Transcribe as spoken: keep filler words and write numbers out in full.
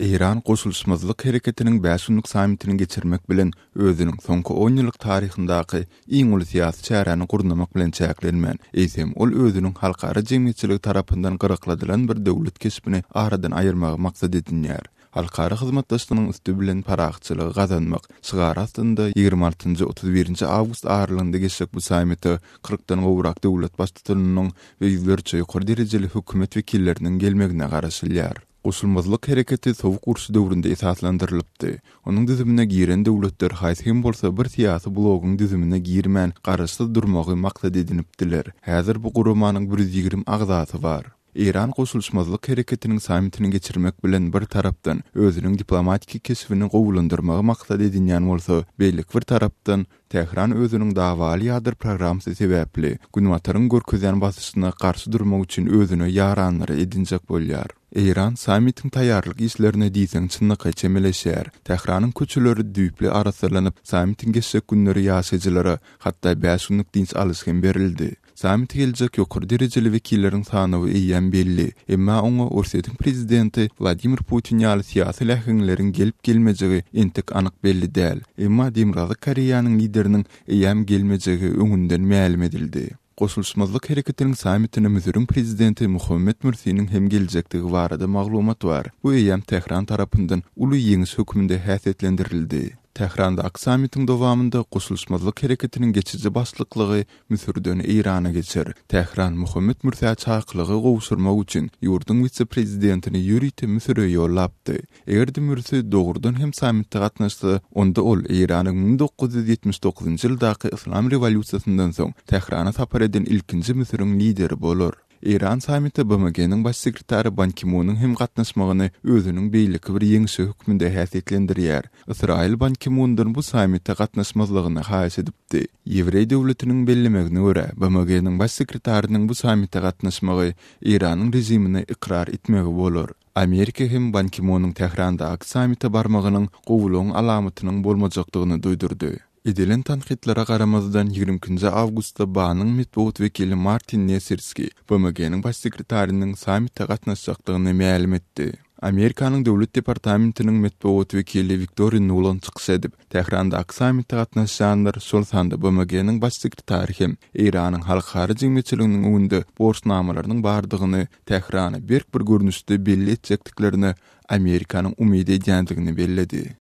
Eýran Goşulyşmazlyk hereketiniň bäş günlük sammitini geçirmek bilen özüniň soňky on ýyllyk taryhyndaky iň uly syýasy çäräni gurnamak bilen çäklenmän, eýsem ol özüniň halkara jemgyýetçiligi tarapyndan gyrakladylan bir döwlet keşbini aradan aýyrmagy maksat edinýär. Halkara hyzmatdaşlygynyň üsti bilen parahatçylygy gazanmak şygary astynda ýigrimi altynjy otuz birinji awgust aralygynda geçjek bu sammite kyrkdan gowrak döwlet baştutanynyň we ýüzlerçe ýokary derejeli hökümet wekilleriniň gelmegine garaşylýar. Goşulmazlyk hereketi Sowuk urşy döwründe esaslandyrylypdy. Onuň düzümine giren döwletler haýsy hem bolsa bir syýasy bloguň düzümine girmän garaşsyz durmagy maksat edinipdiler. Häzir bu guramanyň bir ýüz ýigrimi agzasy bar. Eýran Goşulyşmazlyk hereketiniň sammitini geçirmek bilen bir tarapdan özüniň diplomatiki keşbini gowulandyrmagy maksat edinýän bolsa, beýleki bir tarapdan Tähran özüniň dawaly ýadro programmasy sebäpli Günbataryň görkezýän basyşyna garşy durmak üçin özüne ýaranlary edinjek bolýar. Eýran sammitiň taýýarlyk işlerine diýseň çynlakaý çemeleşýär. Tähranyň köçeleri düýpli arassalanyp, sammitiň geçjek günleri ýaşaýjylara hatda bäş günlük dynç alyş hem berildi. Sammite geljek ýokary derejeli wekilleriň sanawy eýýäm belli. Emma oňa Orsýetiň prezidenti Wladimir Putin ýaly syýasy läheňleriň gelip gelmejegi entek anyk belli däl. Emma Demirgazyk Koreýanyň lideriniň eýýäm gelmejegi öňünden mälim edildi. Goşulyşmazlyk hereketiniň sammitine Müsüriň prezidenti Muhammed Mürsiniň hem geljekdigi barada maglumat bar. Bu eýýäm Tähran tarapyndan uly ýeňiş hökmünde häsiýetlendirildi. Tährandaky sammitiň dowamynda Goşulyşmazlyk hereketiniň geçiji başlyklygy Müsürden Eýrana geçer. Tähran Muhammed Mürsä çakylygy gowşurmak üçin ýurduň wise-prezidentini ýörite Müsüre ýollapdy. Eger-de Mürsi dogrudan hem sammitde gatnaşsa, onda ol Eýranyň müň dokuz ýüz ýetmiş dokuzynjy ýyldaky Yslam rewolýusiýasyndan soň Tährana sapar eden ilkinji Müsüriň lideri bolar. Eýran sammite B M G-niň baş sekretary Ban Ki-munyň hem gatnaşmagyny özüniň beýleki bir ýeňşi hökmünde häsiýetlendirýär. Ysraýyl Ban Ki-mundan bu sammite gatnaşmazlygyny haýyş edipdi. Ýewreý döwletiniň bellemegine görä, B M G-niň baş sekretarynyň bu sammite gatnaşmagy Eýranyň režimini ykrar etmegi bolar. Amerika hem Ban Ki-munyň Tährandaky sammite barmagynyň gowulygyň alamatynyň bolmajakdygyny duýdurdy. Edilen tankytlara garamazdan ýigrimi ikinji awgustda B A-nyň metbugat wekili Martin Nesirski B M G-niň baş sekretarynyň sammite gatnaşjakdygyny mälim etdi. Amerikanyň Döwlet departamentiniň metbugat wekili Wiktoriýa Nuland çykyş edip, Tährandaky sammite gatnaşýanlar, şol sanda B M G-niň baş sekretary hem Eýranyň halkara jemgyýetçiliginiň öňünde borçnamalarynyň bardygyny Tährana berk bir görnüşde belli etjekdiklerine Amerikanyň umyt edýändigini belledi.